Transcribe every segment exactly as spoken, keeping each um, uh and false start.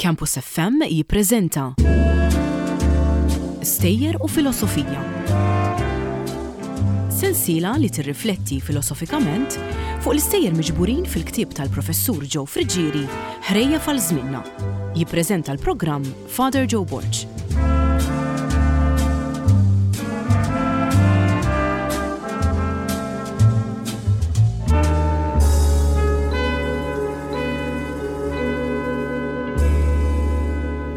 Campus F M jippreżenta Stejjer u Filosofija. Sensiela li tirrifletti filosofikament fuq l-istejjer miġburin fil-ktieb tal-professur Joe Friggieri, Ħrejjef għal Żmienna. Jippreżenta l-programm Father Joe Borg.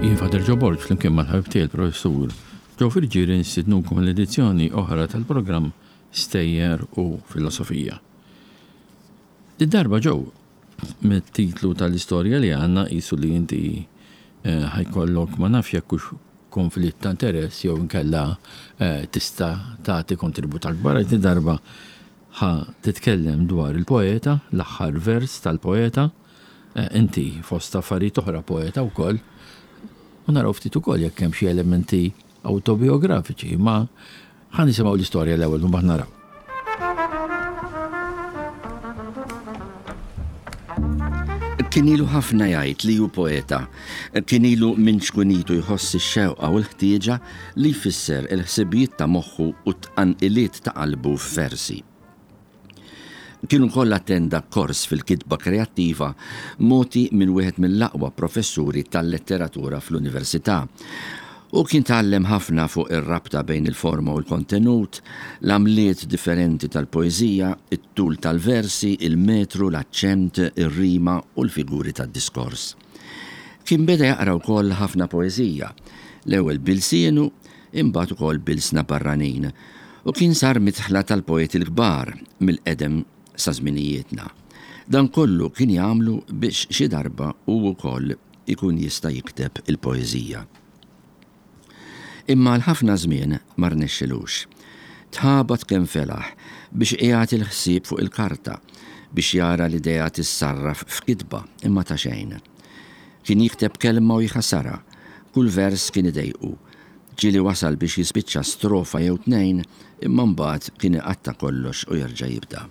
Jien Father Joe Borg, flimkien mal-ħabib tiegħi l-professur Joe Friggieri, nistidnukom l-edizzjoni oħra tal-programm Stejjer u Filosofija. Id-darba, Joe, mit-titlu tal-istorja li għandna qisu li inti eh, ħa jkollok, ma nafx jekk hux konflitt ta' interess jew inkella eh, tista' tagħti kontribut akbar. Di darba ħa titkellem dwar il-poeta, l-aħħar vers tal-poeta, eh, inti fost affarijiet oħra poeta wkoll, u naraw ftit ukoll jekk hemm xi elementi autobiografiċi, ma ħa nisimgħu l-istorja l-ewwel u mbagħad naraw. Kien ilu ħafna jgħid li hu poeta. Kien ilu minn ċkunitu jħoss ix-xewqa u l-ħtieġa li jfisser il-ħsibijiet ta' moħħu u t-tqanqiliet ta' qalbu f'versi. Kien ukoll attenda kors fil-kitba kreattiva mogħti minn wieħed mill-aqwa professuri tal-letteratura fl-università. U kien tgħallem ħafna fuq ir-rabta bejn il-forma u l-kontenut, l-għamliet differenti tal-poeżija, it-tul tal-versi, il-metru, l-aċċent, ir-rima u l-figuri tad-diskors. Kien beda jaqra wkoll ħafna poeżija, l-ewwel bilsienu, imbagħad ukoll b'ilsna barranin, u kien sar midħla tal-poeti l-kbar mill-qedem sa żminijietna. Dan kollu kien jagħmlu biex xi darba hu wkoll ikun jista' jikteb il-poeżija. Imma l-ħafna żmien ma rnexxilux. Tħabat kemm felaħ biex qiegħed il-ħsieb fuq il-karta, biex jara l-idea tissarraf f'kitba, imma ta' xejn. Kien jikteb kelma u jħassarha, kull vers kien idejqu. Ġieli wasal biex jispiċċa strofa jew tnejn, imma mbagħad kien iqatta' kollox u jerġa' jibda.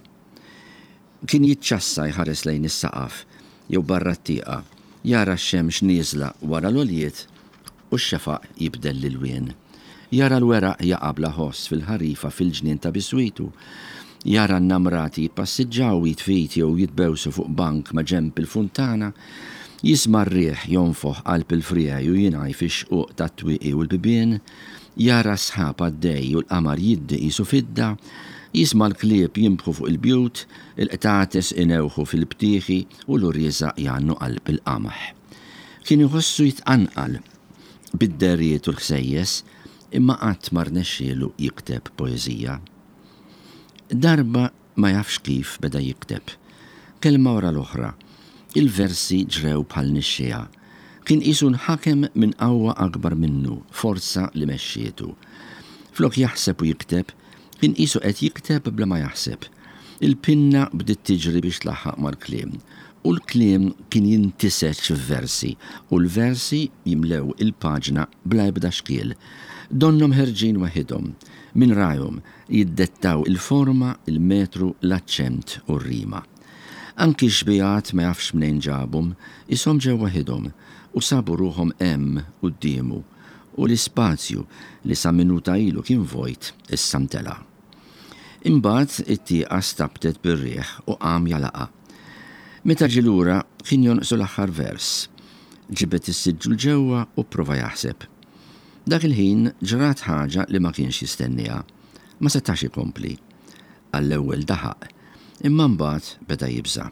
Kien jiċċassa jħares lejn is-saqaf jew barra t-tieqa, jara x-xemx nieżla wara l-għoljiet u x-xefaq jibdel l-ilwien. Jara l-weraq jaqa' bla ħoss fil-ħarifa fil-ġnien ta' biswitu. Jara n-namrati jippassiġġaw jitfit jew jitbewsu fuq bank ma' ġenb il-funtana. Jisma' r-riħ jonfoħ qalb il-friegħi u jingħaj fix-xquq tat-twieqi u l-bibien. Jara s-sħab għaddej u l-qamar jiddi qisu fidda. Jisma' l-klieb jinbħu fuq il-bjut, il-qtates inewħu fil-btieħi u l-urriża jgħannu qalb il-qamħ. Kien iħossu jitqanqal bid-derijiet u l-ħsejjes, imma qatt ma rnexxielu jikteb poeżija. Darba ma jafx kif beda jikteb. Kelma wara l-oħra, il-versi ġrew bħal nixxiegħa. Kien qisu nħakem minn qawwa akbar minnu, forza li mexxietu. Flok jaħseb u jikteb, kien qisu qed jikteb bla ma jaħseb. Il-pinna bdiet tiġri biex tlaħħaq mal-kliem, u l-kliem kien jintiseġ f'versi, u l-versi jimlew il-paġna bla ebda xkiel. Donnhom ħerġin waħidhom, minn rajhom jiddettaw il-forma, il-metru, l-aċċent u r-rima. Anki xbijat ma jafx mnejn ġabhom, ishom ġew waħidhom u sabu ruħhom hemm quddiemu, u l-ispazju li sa minuta ilu kien vojt issa mtela. Imbagħad it-tieqa stabtet bir-riħ u qam jalaqa. Meta ġie lura kien jonqsu l-aħħar vers. Ġibed is-siġġu 'l ġewwa u pprova jaħseb. Dak il-ħin ġrat ħaġa li ma kienx jistenniha. Ma setax ikompli. Għall-ewwel daħaq, imma mbagħad beda jibża'.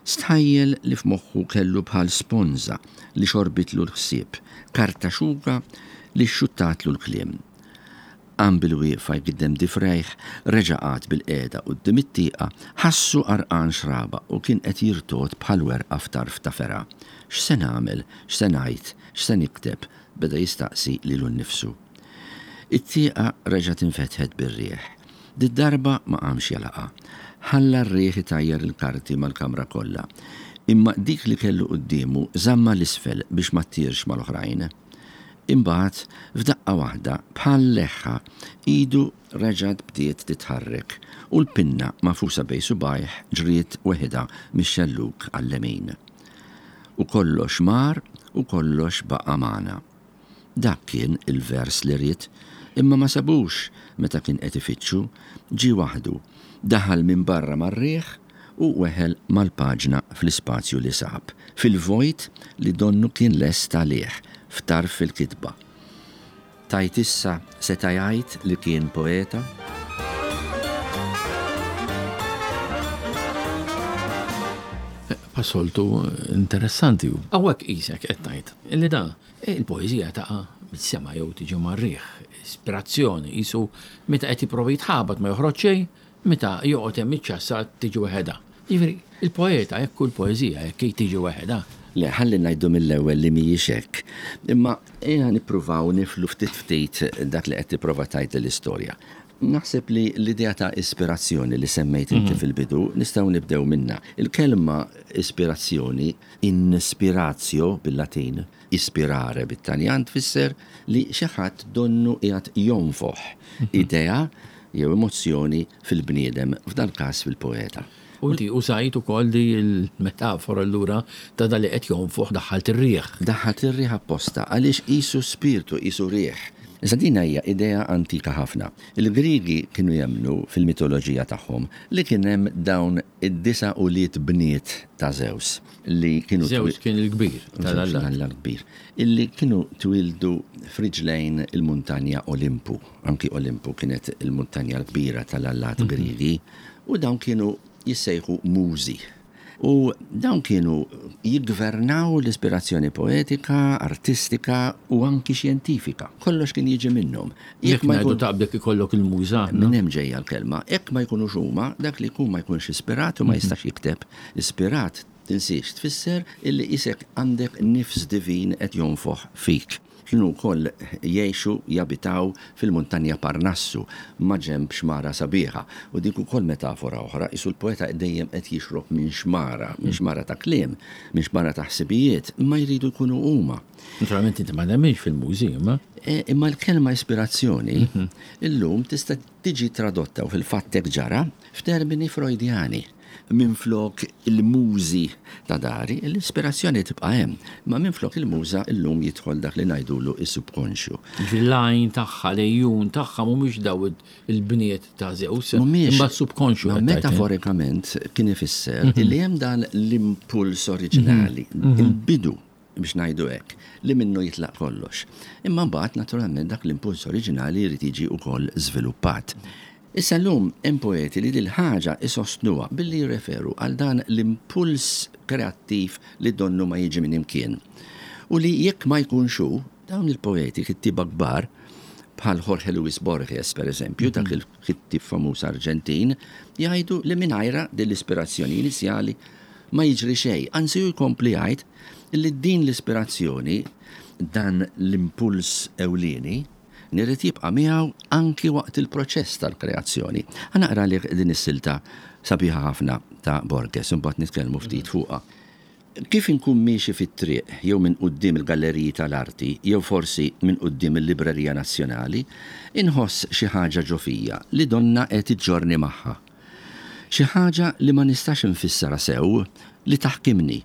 Stħajjel li f'moħħu kellu bħal sponża li xorbitlu l-ħsieb, karta xuka li xxuttatlu l-kliem. Qam bil-wieqfa jgiddem difrejh, reġa' qagħad bil-qiegħda quddiem it-tieqa, ħassu għarqan xraba u kien qed jirtogħod bħal werqa f'tarf ta' fergħa. X'se nagħmel, x'se ngħid, x'se nikteb, beda jistaqsi lilu nnifsu. It-tieqa reġgħet infetħet bir-riħ. Did-darba ma qamx jalaqa. Ħalla r-riħ itajjar il-karti mal-kamra kollha. Imma dik li kellu quddiemu żamma l-isfel biex ma ttirx mal-oħrajn. Imbagħad f'daqqa waħda bħal leħħa idu reġgħet bdiet titħarrek u l-pinna mafusa bejn subgħajh ġriet weħidha mix-xellug għall-lemin. U kollox mar u kollox baqa' magħna. Dak kien il-vers li ried, imma ma sabux meta kien qed ifittxu, ġie waħdu, daħal minn barra mar-riħ u weħel mal-paġna fl-ispazju li sab, fil-vojt li donnu kien lest għalih, f'tarf il-kitba. Tgħid issa seta' jgħid li kien poeta? Passoltu interessanti. Hawnhekk qisek qed tgħid illi da il-poeżija taqa' mis-sema jew tiġi mar-riħ, ispirazzjoni, qisu meta qed jipprova jitħabat ma joħroġ xejn, meta joqgħod hemm iċ-ċassa tiġi weħedha. Jiġifieri il-poeta jekk hu l-poeżija jekk hi tiġi weħedha. Le, ħalli ngħidu mill-ewwel li mhijiex hekk. Imma ejja nippruvaw niflu ftit ftit dak li qed tipprova tgħid l-istorja. Naħseb li l-idea ta' ispirazzjoni li semmejt inti fil-bidu nistgħu nibdew minnha. Il-kelma ispirazzjoni, inspiratio bil-Latin, ispirare bit-Taljan, tfisser li xi ħadd donnu qiegħed jonfoħ idea jew emozzjoni fil-bniedem, f'dal-każ fil-poeta. U inti użajt ukoll di l-metafora allura ta' dali qed jonfoħ daħħalt ir-riħ. Daħħalt ir-riħ apposta għaliex qisu spirtu, qisu riħ. Issa din hija idea antika ħafna. Il-Griegi kienu jemmnu fil-mitoloġija tagħhom li kien hemm dawn id-disa' ulied bniet ta' Zeus li kienu Zeus kien il-kbir tal-Alla. Tal-Alla kbir. Illi kienu twildu friġlejn il-muntanja Olimpu. Anki Olimpu kienet il-muntanja l-kbira tal-allat Griegi u dawn kienu jissejħu mużi. U dawn kienu jiggvernaw l-ispirazzjoni poetika, artistika u anki xjentifika. Kollox kien jiġi minnhom. Jekk ma ngħidu taqbdek ikollok il-muża, no? Minn hemm ġejja l-kelma. Jekk ma jkunux huma, dak li jkun ma jkunx ispirat u ma jistax jikteb. Ispirat, tinsiex, tfisser illi isek għandek nifs divin qed jonfoħ fik. Kienu wkoll jgħixu, jabitaw fil-muntanja Parnassu, ma' ġenb xmara sabiħa. U dik ukoll metafora oħra, isu l-poeta dejjem qed jixrob minn xmara, minn xmara ta' kliem, minn xmara ta' ħsibijiet, imma jridu jkunu huma. Naturalment inti ma nemminx fil-mużi, imma. E, imma l-kelma ispirazzjoni illum tista' tiġi tradotta u fil-fatt hekk ġara f'termini Freudjani. Minflok il-mużi ta' dari, l-ispirazzjoni tibqa' hemm, ma minflok il-muża illum jidħol dak li ngħidulu is-subkonxju. L-għajn tagħha, l-ejjun tagħha mhumiex daw il-bniet ta' Zeus, Mhumiex. imma s-subkonxju Ma qed tgħid, eh? metaforikament kien ifisser illi hemm dan l-impuls oriġinali, il-bidu biex ngħidu hekk, li minnu jitlaq kollox. Imma mbagħad naturalment dak l-impuls oriġinali jrid jiġi wkoll żviluppat. Issa llum hemm poeti li dil ħaġa isostnuha billi jirreferu għal dan l-impuls kreattiv li donnu ma jiġi minn imkien. U li jekk ma jkunx hu, dawn il-poeti kittieba kbar bħal Jorge Luis Borges, per eżempju, dak il-kittieb famuż Arġentin, jgħidu li mingħajra din l-ispirazzjoni inizjali ma jiġri xejn. Anzi hu jkompli jgħid li din l-ispirazzjoni, dan l-impuls ewlieni, irid jibqa' miegħu anki waqt il-proċess tal-kreazzjoni. Ħa naqra li din is-silta sabiħa ħafna ta' Borges, imbagħad nitkellmu ftit fuqha. Kif inkun miexi fit-triq jew minn quddiem il-galleriji tal-arti jew forsi minn quddiem il-Librerija Nazzjonali, inħoss xi ħaġa ġo fija li donna qed iġġorni magħha. Xi ħaġa li ma nistax infissarha sew li taħkimni.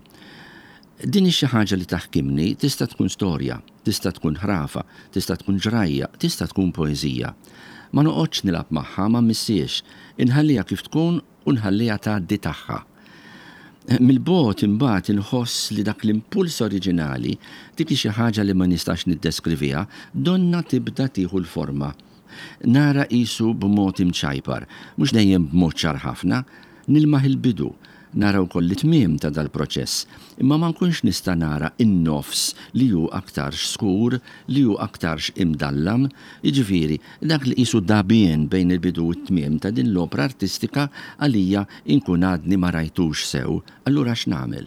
Din hi xi ħaġa li taħkimni tista' tkun storja, tista' tkun ħrafa, tista' tkun ġrajja, tista' tkun poeżija. Ma noqgħodx nilgħab magħha, ma mmissiex, inħalliha kif tkun u nħalliha tgħaddi tagħha. Mill-bogħod imbagħad inħoss li dak l-impuls oriġinali, dik hi xi ħaġa li ma nistax niddeskriviha, donna tibda tieħu l-forma. Nara qisu b'mod imċajpar, mhux dejjem b'mod ċar ħafna, nilmaħ il-bidu, nara wkoll it-tmiem ta' dal-proċess, imma ma nkunx nista' nara in-nofs li hu aktarx skur, li hu aktarx imdallam, jiġifieri dak li qisu dabien bejn il-bidu u t-tmiem ta' din l-opra artistika għalija inkun għadni ma rajtux sew. Allura x'nagħmel?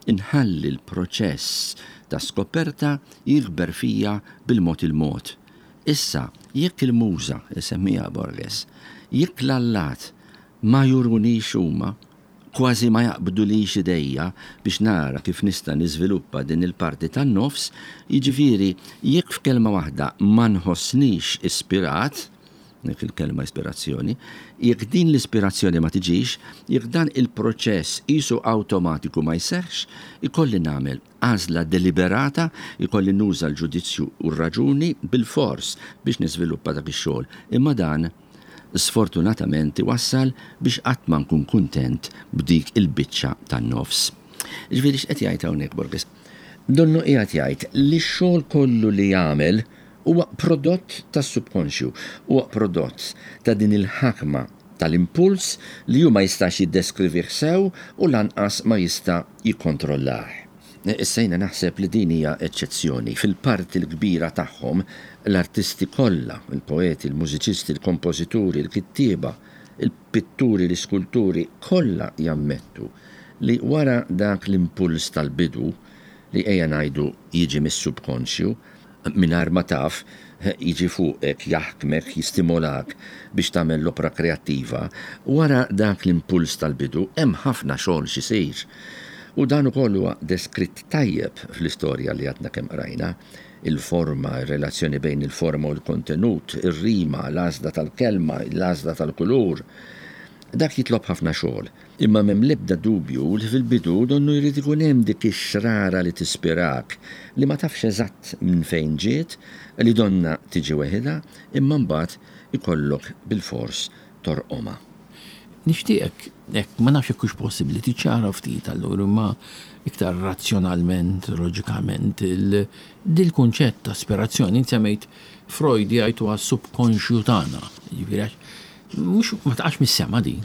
Inħalli l-proċess ta' skoperta jikber fija bil-mod il-mod. Issa, jekk il-muża, isemmija Borges, jekk l-allat ma jurunix huma, kważi ma jaqbdulix idejja biex nara kif nista' niżviluppa din il-parti tan-nofs, jiġifieri jekk f'kelma waħda ma nħossnix ispirat, Dik il-kelma ispirazzjoni, jekk din l-ispirazzjoni ma tiġix, jekk dan il-proċess qisu awtomatiku ma jseħħx, ikolli nagħmel għażla deliberata, ikolli nuża l-ġudizzju u r-raġuni bil-fors biex niżviluppa dak ix-xogħol. Imma dan sfortunatament iwassal biex qatt ma nkun kuntent b'dik il-biċċa tan-nofs. Ġifieri x'qed jgħid hawnhekk Borges? Donnu qiegħed jgħid li x-xogħol kollu li jagħmel huwa prodott tas-subkonxju, huwa prodott ta' din il-ħakma tal-impuls li hu ma jistax jiddeskrivih sew u lanqas ma jista' jikkontrollah. Issa jiena naħseb li din hija eċċezzjoni. Fil-parti l-kbira tagħhom l-artisti kollha, il-poeti, il-mużiċisti, il-kompożituri, il-kittieba, il-pitturi, l-iskulturi, kollha jammettu li wara dak l-impuls tal-bidu li ejja ngħidu jiġi mis-subkonxju, mingħajr ma taf, jiġi fuqek, jaħkmek, jistimolak biex tagħmel l-opra kreattiva, wara dak l-impuls tal-bidu hemm ħafna xogħol x'isir. U dan ukoll huwa deskritt tajjeb fl-istorja li għadna kemm qrajna, il-forma, ir-relazzjoni bejn il-forma u l-kontenut, ir-rima, l-għażla tal-kelma, l-għażla tal-kulur. Dak jitlob ħafna xogħol. Imma m'hemm l-ebda dubju li fil-bidu donnu jrid ikun hemm dik ix-xrara li tispirak, li ma tafx eżatt minn fejn ġiet, li donna tiġi weħidha, imma mbagħad ikollok bil-fors torqomha. Nixtieqek, hekk ma nafx hekk hux possibbli tiċċara ftit allura, imma iktar razzjonalment, loġikament, dil-kunċett ta' ispirazzjoni, inti semmejt Freud jgħid huwa subkonxju tagħna. Jiġifieri għax mhux ma taqax mis-sema din.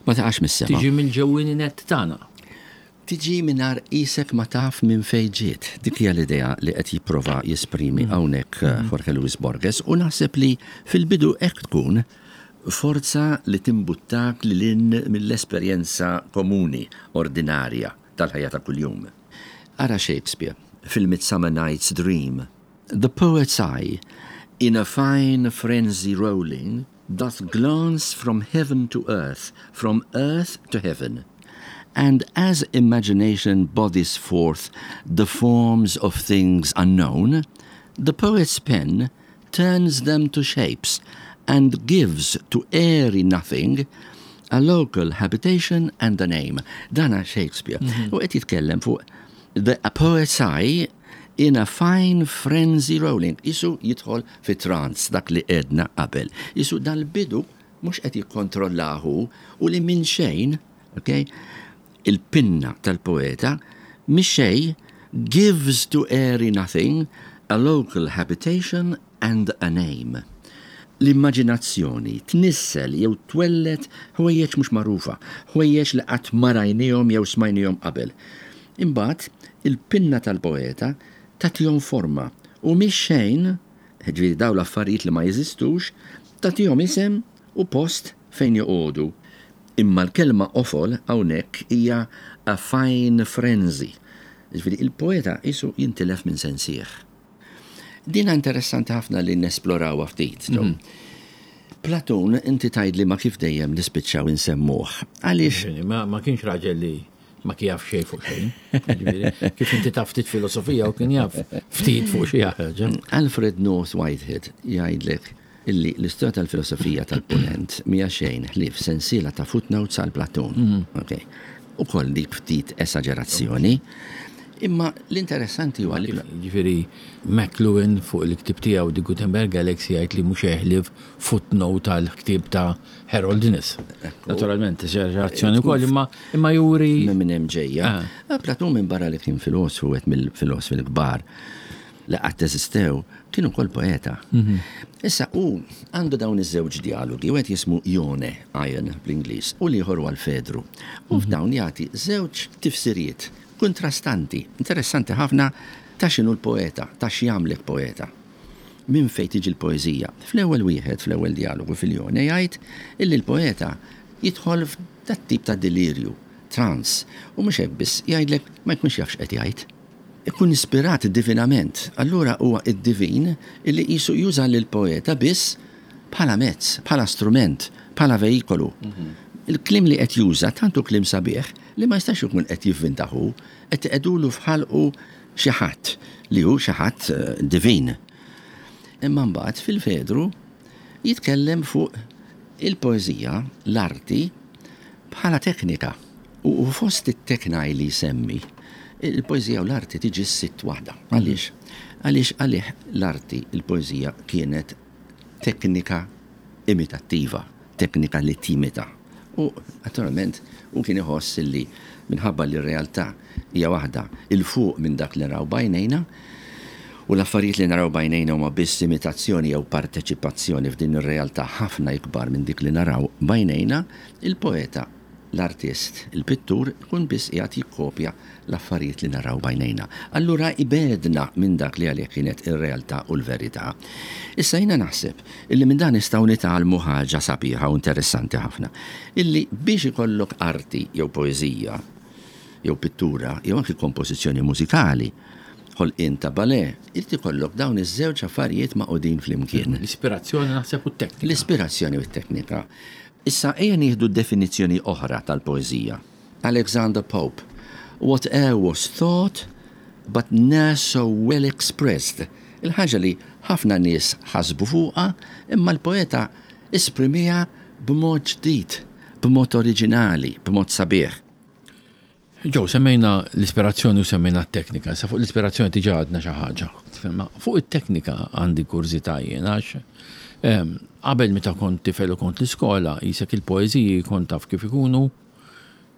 Ma taqax mis-sema. Tiġi mill-ġewwieni nett tagħna. Tiġi mingħajr qisek ma taf minn fejn ġiet. Dik hija l-idea li qed jipprova jesprimi hawnhekk Jorge Luis Borges, u naħseb li fil-bidu hekk tkun forza li timbuttak lil hinn mill-esperjenza komuni, ordinarja tal-ħajja ta' kuljum. Ara Shakespeare fil-Midsummer Night's Dream. The poet's eye, in a fine frenzy rolling, doth glance from heaven to earth, from earth to heaven. And as imagination bodies forth the forms of things unknown, the poet's pen turns them to shapes and gives to airy nothing a local habitation and a name. Dana Shakespeare. U qed jitkellem fuq the poet's eye in a fine frenzy rolling. Qisu jidħol fi trance, dak li għedna qabel. Qisu dal-bidu mhux qed jikkontrollahu u li minn xejn, okay, il-pinna tal-poeta mix xejn gives to airy nothing a local habitation and a name. L-immaġinazzjoni tnissel jew twellet ħwejjeġ mhux magħrufa, ħwejjeġ li qatt ma rajnihom jew smajnihom qabel. Imbagħad il-pinna tal-poeta tagħtihom forma u mhix xejn, ġifieri dawn l-affarijiet li ma jeżistux, tagħtihom isem u post fejn joqogħdu. Imma l-kelma qofol hawnhekk hija a fine frenzy. Ġifieri il-poeta qisu jintilef minn sensih. Dina interessanti ħafna li nesplorawha ftit. Mm. Platun, inti tgħidli ma kif dejjem nispiċċaw insemmuh. Għaliex? Ma, ma kienx raġel li ma kien jaf xejn fuq xejn. Ġifieri, kif inti taf ftit filosofija u kien jaf ftit fuq xi ħaġa. Alfred North Whitehead jgħidlek illi l-istorja tal-filosofija tal-Punent mija xejn ħlief sensiela ta' footnotes għal Platun. Mm. Okay. U koll dik ftit esagerazzjoni. Imma l-interessanti huwa li Ġifieri McLuhan fuq il-ktieb tiegħu The Gutenberg Galaxy jgħid li mhux jeħlif footnote tal-ktieb ta' Harold Innis. Naturalment, esagerazzjoni wkoll, imma imma juri minn hemm ġejja. Ah. Platun minn barra li kien filosofu wieħed mill-filosofi l-kbar li qatt eżistew, kien ukoll poeta. Mhm. Issa hu għandu dawn iż-żewġ dialogi, wieħed jismu Ione, Ion bl-Ingliż, u l-ieħor huwa l-Fedru. U f'dawn jagħti żewġ tifsiriet kontrastanti, interessanti ħafna ta' x'inhu l-poeta, ta' x'jagħmlek poeta. Minn fejn tiġi l-poeżija? Fl-ewwel wieħed, fl-ewwel dialogu fil-Ione jgħid illi l-poeta jidħol f'dat tip ta' delirju, trans, u mhux hekk biss, jgħidlek ma jkunx jaf x'qed jgħid. Ikun ispirat divinament, allura huwa id-divin illi qisu juża lill-poeta biss bħala mezz, bħala strument, bħala veikolu. Mhm. Il-kliem li qed juża tantu kliem sabiħ li ma jistax ikun qed jivvintahu, qed iqegħdulu f'ħalqu xi ħadd li hu xi ħadd, eh, divin. Imma mbagħad fil-Fedru Jitkellem fuq il-poeżija, l-arti, bħala teknika. U fost it-teknai li jsemmi, il-poeżija u l-arti tiġi s-sitt waħda. Għaliex? Għaliex għalih l-arti, il-poeżija kienet teknika imitattiva, teknika li timita. U naturalment u kien iħoss li minħabba li r-realtà hija waħda 'il fuq minn dak li naraw b'għajnejna, u l-affarijiet li naraw b'għajnejna huma biss imitazzjoni jew parteċipazzjoni f'din ir-realtà ħafna ikbar minn dik li naraw b'għajnejna, il-poeta, l-artist, il-pittur ikun biss qiegħed jikkopja l-affarijiet li naraw b'għajnejna. Allura ibegħedna minn dak li għalih kienet ir-realtà u l-verità. Issa jiena naħseb illi minn dan nistgħu nitgħallmu ħaġa sabiħa u interessanti ħafna. Illi biex ikollok arti jew poeżija jew pittura jew anki kompożizzjoni mużikali, ħolqien ta' ballet, irid ikollok dawn iż-żewġ affarijiet magħqudin flimkien. L-ispirazzjoni naħseb u t-teknika. L-ispirazzjoni u t-teknika. Issa ejja nieħdu definizzjoni oħra tal-poeżija. Alexander Pope. Whate'er was thought, but ne'er so well expressed. Il-ħaġa li ħafna nies ħasbu fuqha, imma l-poeta esprimiha b'mod ġdid, b'mod oriġinali, b'mod sabiħ. Joe, semmejna l-ispirazzjoni u semmejna t-teknika. Sa fuq l-ispirazzjoni diġà għedna xi ħaġa. Fuq it-teknika għandi kurżità jien għax qabel meta kont tifel u kont l-iskola, jisek il-poeżiji kont taf kif ikunu,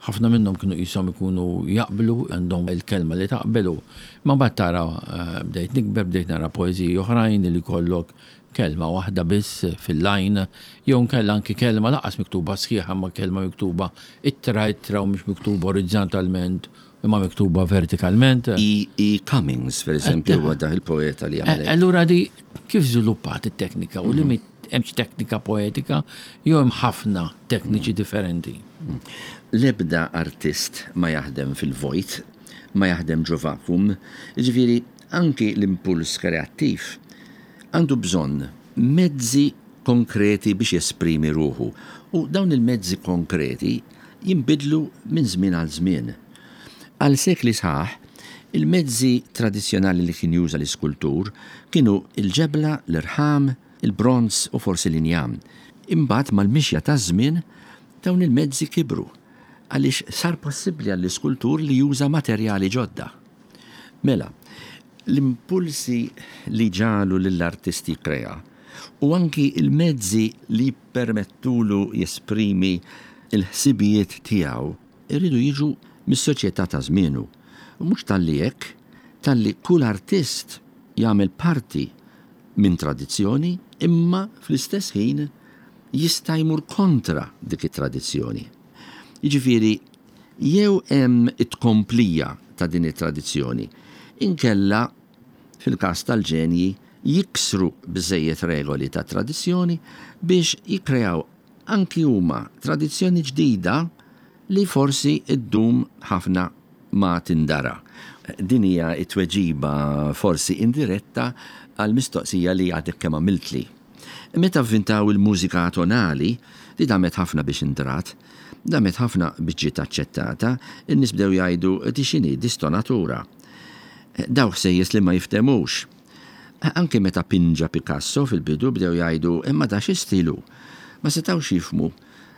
ħafna minnhom kienu qishom ikunu jaqblu, għandhom il-kelma li taqbelu. Ma mbagħad tara bdejt nikber, bdejt nara poeżiji oħrajn li kollok kelma waħda biss fil-line, jew nkella anki kelma lanqas miktuba sħiħa ma kelma miktuba ittra ittra u mhux miktuba orizzontalment, imma miktuba vertikalment. E. E. Cummings, per eżempju, huwa dak il-poeta li għamel. Allura di kif żviluppat it-teknika u li hemmx teknika poetika jew hemm ħafna tekniċi differenti. L-ebda artist ma jaħdem fil-vojt, ma jaħdem ġo vacuum, jiġifieri anki l-impuls kreattiv għandu bżonn mezzi konkreti biex jesprimi ruħu. U dawn il-mezzi konkreti jinbidlu minn żmien għal żmien. Għal sekli sħaħ, il-mezzi tradizzjonali li kien juża l-iskultur kienu il-ġebla, l-irħam, il-bronz u forsi l-injam. Imbagħad mal-mixja taż-żmien dawn il-mezzi kibru għaliex sar possibbli għall-iskultur li juża materjali ġodda. Mela, l-impulsi li ġagħlu lill-artisti krea u anki il-mezzi li permettulu jesprimi il-ħsibijiet tiegħu irridu jiġu mis-soċjetà ta' żmienu. U mhux talli hekk, talli kull artist jagħmel parti minn tradizzjoni, imma fl-istess ħin jista' jmur kontra dik it-tradizzjoni. Jiġifieri jew hemm it-tkomplija ta' din it-tradizzjoni, inkella fil-każ tal-ġenji jiksru biżejjed regoli ta' tradizzjoni biex jikkreaw anki huma tradizzjoni ġdida li forsi ddum ħafna ma tindara. Din hija t-tweġiba forsi indiretta għal mistoqsija li għadek kemm għamiltli. Meta vvintaw il-mużika tonali, li damet ħafna biex indrat, damet ħafna biex ġiet aċċettata, in-nies bdew jgħidu di x'inhi distonatura. Daw ħsejjes li ma jiftemux. Anke meta pinġa Picasso fil-bidu bdew jgħidu imma da xi stilu. Ma setgħux jifhmu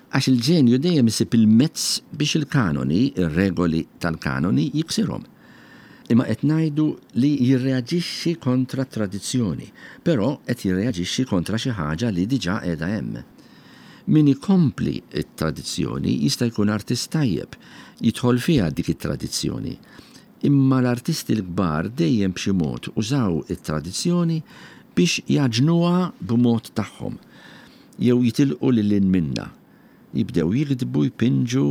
għax il-ġenju dejjem isib il-mezz biex il-kanoni, ir-regoli tal-kanoni jiksirhom. Imma qed ngħidu li jirreaġixxi kontra tradizzjoni, però qed jirreaġixxi kontra xi ħaġa li diġà qiegħda hemm. Min ikompli t-tradizzjoni jista' jkun artist tajjeb, jidħol fiha dik it-tradizzjoni. Imma l-artisti l-kbar dejjem b'xi mod użaw it-tradizzjoni biex jaġnuha b'mod tagħhom, jew jitilqu lil hinn minnha. Jibdew jiktbu, jpinġu,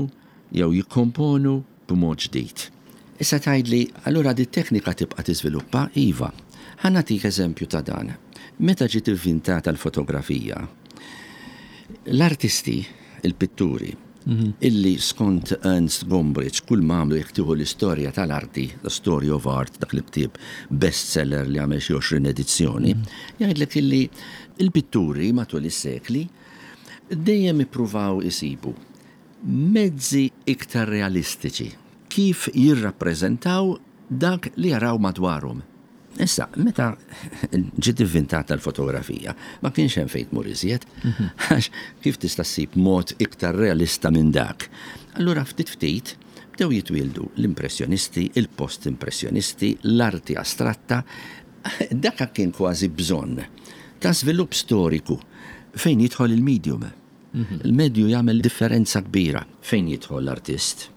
jew jikkomponu b'mod ġdid. Issa tgħidli, allura di teknika tibqa' tiżviluppa? Iva. Ħa nagħtik eżempju ta' dan. Meta ġiet ivvintata l-fotografija, l-artisti, il-pitturi, illi skont Ernst Gombrich kull ma għamlu jekk tieħu l-istorja tal-arti, The Story of Art, dak li ktieb bestseller li għamel xi għoxrin edizzjoni, jgħidlek illi il-pitturi matul is-sekli dejjem ippruvaw isibu mezzi iktar realistiċi kif jirrappreżentaw dak li jaraw madwarhom. Issa, meta ġiet inventata l-fotografija, ma kienx hemm fejn tmur iżjed, għax kif tista' ssib mod iktar realista minn dak? Allura ftit ftit bdew jitwieldu l-impressjonisti, il-post-impressjonisti, l-arti astratta. Dak kien kważi bżonn ta' żvilupp storiku fejn jidħol il-medium. Il-medju jagħmel differenza kbira fejn jidħol l-artist.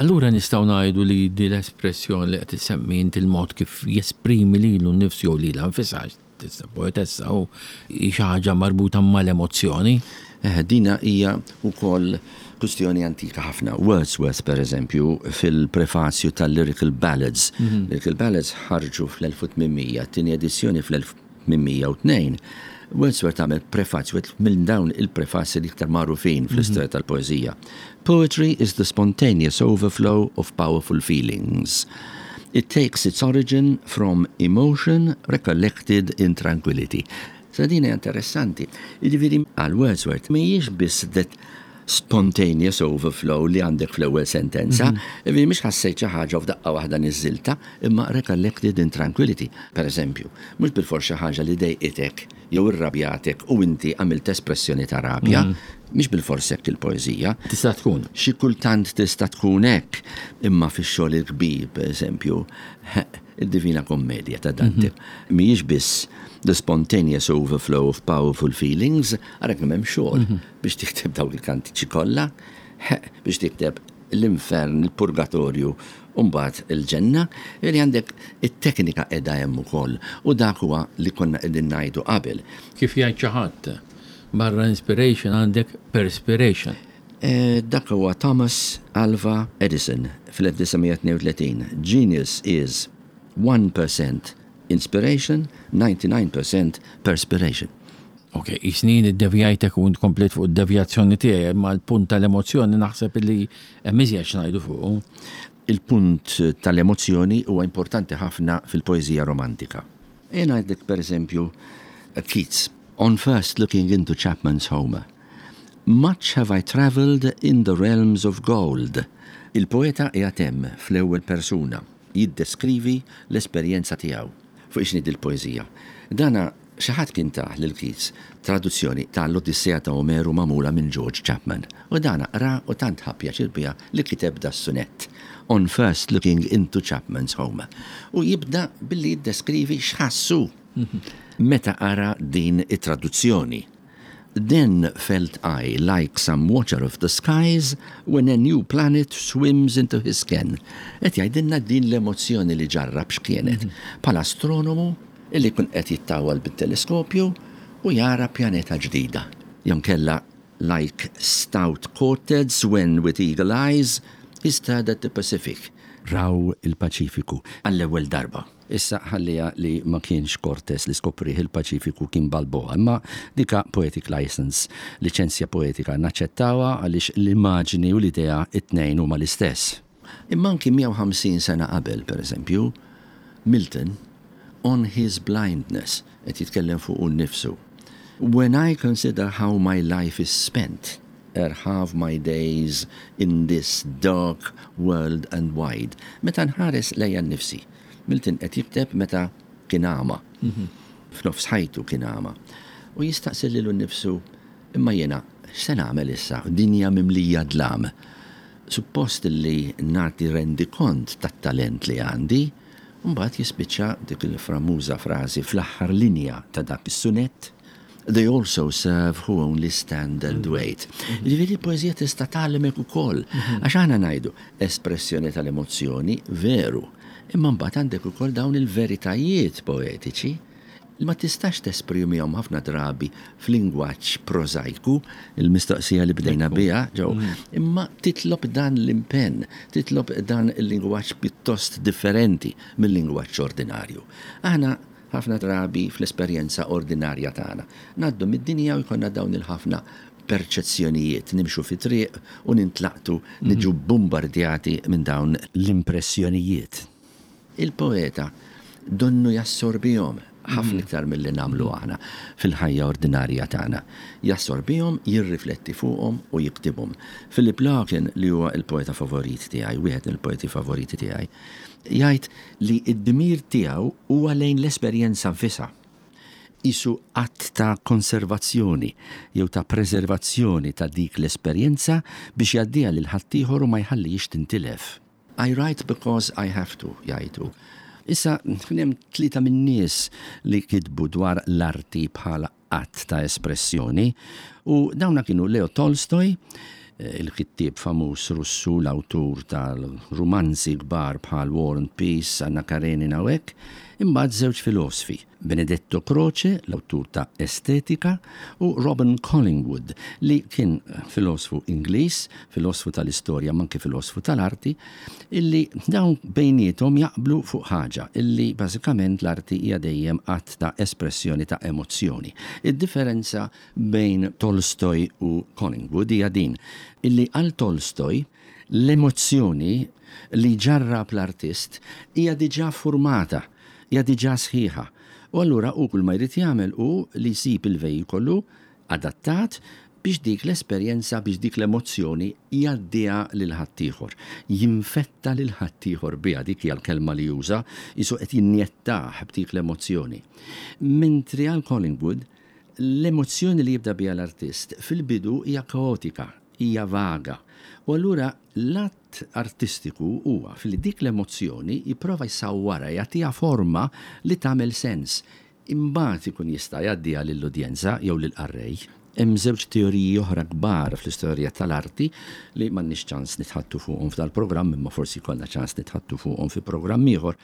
Allura nistgħu ngħidu li di l-espressjoni li qed issemmi inti, il-mod kif jesprimi lilu nnifsu jew lilha nfisha, tista' poetessa, u xi ħaġa marbuta mal-emozzjoni. Eh, dina hija wkoll kwistjoni antika ħafna. Wordsworth, per eżempju, fil-prefazju tal-Lyrical Ballads. Mm -hmm. Lyrical Ballads ħarġu fl-elf u tmien mija, tieni edizzjoni fl-elf tmien mija u tnejn. Wordsworth għamel prefazju, minn dawn il-prefazji li iktar magħrufin fl-istorja mhm. tal-poezija. "Poetry is the spontaneous overflow of powerful feelings. It takes its origin from emotion recollected in tranquility." Sa din interessanti. Jiġifieri għal Wordsworth mhijiex biss that spontaneous overflow li għandek fl-ewwel sentenza, mm -hmm. mhix ħassejt xi ħaġa f'daqqa waħda niżżilta, imma recollected in tranquility. Per eżempju, mhux bilfors xi ħaġa li dejqitek jew irrabjatek u inti għamilt espressjoni ta' rabja, mm. mhix bilfors hekk il-poeżija. Tista' tkun. Xi kultant tista' tkun hekk, imma fix-xogħol il-kbir, per eżempju, id-Divina Kommedja ta' Dante. Mm -hmm. Mhijiex biss the spontaneous overflow of powerful feelings, għarek hemm xogħol mm -hmm. biex tikteb dawk il-kantiċi kollha, biex tikteb l-infern, il-purgatorju, u mbagħad il-ġenna, li għandek it-teknika qiegħda hemm ukoll u dak huwa li konna qegħdin ngħidu qabel. Kif jgħid xi ħadd, barra inspiration għandek perspiration. Eh, dak huwa Thomas Alva Edison fl-elf disa' mija tnejn u tletin. "Genius is one percent inspiration, ninety-nine percent perspiration." Ok, jisnin id-devjajtek u komplet fuq id-devjazzjoni tiegħi, ma l-punt tal-emozzjoni naħseb li hemm iżjed x'ngħidu fuq. Il-punt tal-emozzjoni huwa importanti ħafna fil-poeżija romantika. Jena għandek, per eżempju, Keats, On First Looking into Chapman's Homer. "Much have I travelled in the realms of gold." Il-poeta qiegħed hemm fl-ewwel persuna jiddeskrivi l-esperjenza tiegħu fuq x'inhi il-poeżija. Dana xi ħadd kien tah lil Keats traduzzjoni tal-Odissea ta' Omeru magħmula minn George Chapman. U dana ra u tant ħa pjaċir biha li kiteb da sunett. On First Looking into Chapman's Homer. U jibda billi jiddeskrivi x'ħassu meta qara din it-traduzzjoni. "Then felt I like some watcher of the skies when a new planet swims into his ken." Et jgħidilna din l-emozzjoni li ġarrab x'kienet. Bħala astronomu illi kun qed jittawal bit-teleskopju u jara pjaneta ġdida. Jew inkella "like stout Cortez when with eagle eyes he stared at the Pacific." Raw il-Paċifiku għall-ewwel darba. Issa ħallija li ma kienx Cortez li skoprih il-Paċifiku, kien Balboa, imma dika poetic license, liċenzja poetika, naċċettawha għaliex l-immaġini u l-idea it-tnejn huma l-istess. Imma anki mija u ħamsin sena qabel, per eżempju, Milton, On His Blindness, qed jitkellem fuq nifsu. "When I consider how my life is spent, ere half my days in this dark world and wide." Meta nħares lejja nnifsi. Milton qed jikteb meta kien għama. F'nofs ħajtu kien għama. U jistaqsi lilu nnifsu, imma jiena x'se nagħmel issa, dinja mimlija dlam? Suppost li nagħti rendikont tat-talent li għandi. Mbagħad jispiċċa dik il-famuża frażi fl-aħħar linja ta' dak is-sunett: "They also serve who only stand and wait." Ġifieri l-poeżija tista' tgħallmek ukoll. Għax aħna ngħidu espressjoni tal-emozzjoni, veru. Imma mbagħad għandek ukoll dawn il-veritajiet poetiċi li ma tistax tesprimihom ħafna drabi f'lingwaġġ prożajku, il-mistoqsija li bdejna biha, ġew, imma titlob dan l-impenn, titlob dan il-lingwaġġ pjuttost differenti mill-lingwaġġ ordinarju. Aħna ħafna drabi fl-esperjenza ordinarja tagħna ngħaddu mid-dinja u jkollna dawn il-ħafna perċezzjonijiet, nimxu fi triq u nintlaqtu, niġu bombardjati minn dawn l-impressjonijiet. Il-poeta donnu jassorbihom. Ħafna iktar milli nagħmlu aħna fil-ħajja ordinarja tagħna. Jassorbihom, jirrifletti fuqhom u jiktibhom. Philip Larkin, li huwa il-poeta favorit tiegħi, wieħed mill-poeti favoriti tiegħi, jgħid li d-dmir tiegħu huwa lejn l-esperjenza nfisha. Qisu att ta' konservazzjoni jew ta' preservazzjoni ta' dik l-esperjenza biex jgħaddiha lil ħaddieħor u ma jħallihiex tintilef. "I write because I have to," jgħidu. Issa, hemm tlieta min-nies li kitbu dwar l-arti bħala att ta' espressjoni u dawna kienu Leo Tolstoj, il-kittieb famuż Russu, l-awtur tal-rumanzi kbar bħal War and Peace, Anna Karenina u hekk, imbagħad żewġ filosfi, Benedetto Croce, l-awtur ta' Estetika, u Robin Collingwood, li kien filosfu Ingliż, filosfu tal-istorja, ma anke filosfu tal-arti, illi dawn bejniethom jaqblu fuq ħaġa, illi bażikament l-arti hija dejjem att ta' espressjoni ta' emozzjoni. Id-differenza bejn Tolstoj u Collingwood hija din, illi għal Tolstoj l-emozzjoni li ġarrab l-artist hija diġà formata, hija diġà sħiħa. U allura u kull ma jrid jagħmel hu li jsib il-vejkolu adattat biex dik l-esperjenza, biex dik l-emozzjoni jgħaddiha lil ħaddieħor. Jinfetta lil ħaddieħor biha, dik hija l-kelma li juża, qisu qed jinjettah b'dik l-emozzjoni. Mentri għal Collingwood, l-emozzjoni li jibda biha l-artist fil-bidu hija kaotika, hija vaga. U allura l-att artistiku huwa fil dik l-emozzjoni jipprova jsawwarha, jagħtiha forma li tagħmel sens. Imbagħad ikun jista' jgħaddiha lill-udjenza jew lill-qarrej. Hemm żewġ teoriji oħra kbar fl-istorja tal-arti li m'għandniex ċans nitħaddtu fuqhom f'dal-programm, imma forsi jkollna ċans nitħaddtu fuqhom fi programm ieħor.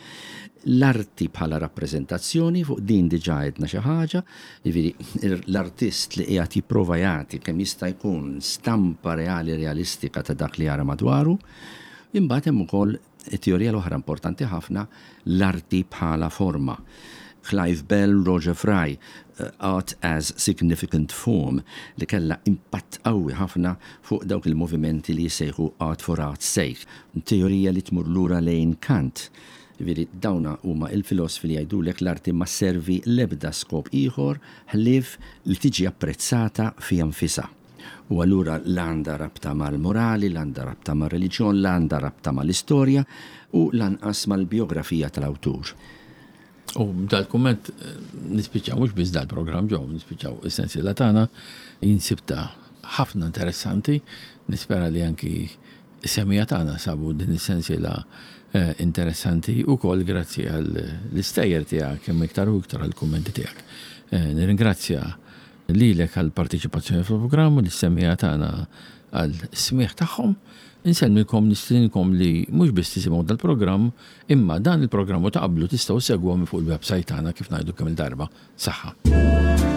L-arti bħala rappreżentazzjoni, fuq din diġà għedna xi ħaġa, jiġifieri l-artist li qiegħed jipprova jagħti kemm jista' jkun stampa reali, realistika ta' dak li jara madwaru. Imbagħad hemm ukoll it-teorija l-oħra importanti ħafna, l-arti bħala forma. Clive Bell, Roger Fry, uh, Art as Significant Form, li kella impatt qawwi ħafna fuq dawk il-movimenti li jissejħu Art for Art's Sake. Teorija li tmur lura lejn Kant. Jiġifieri dawna huma il-filosfi li jgħidulek l-arti ma sservi l-ebda skop ieħor ħlief li tiġi apprezzata fiha nfisha. U allura l-għanda rabta mal-morali, l-għanda rabta mal-reliġjon, l-għanda rabta mal-istorja u lanqas mal-biografija tal-awtur. U dal-kumment nispiċċaw mhux biss dal-programm ġew, nispiċċaw is-sensiela tagħna, jien sibtha ħafna interessanti, nispera li anki is-semmiegħa tagħna sabu din is-sensiela eh, interessanti ukoll grazzi għall-istejjer tiegħek kemm iktar u iktar għall-kummenti tiegħek. Eh, nirringrazzja lilek għall-partiċipazzjoni fil-programm u lis-semmiegħa tagħna għal-smieħ tagħhom. Insellmilkom, nistedinkom li mhux biss tisimgħu dal-programm, imma dan il-programm u ta' qablu tistgħu ssegwu minn fuq il-website tagħna, kif ngħidu kemm il-darba. Saħħa.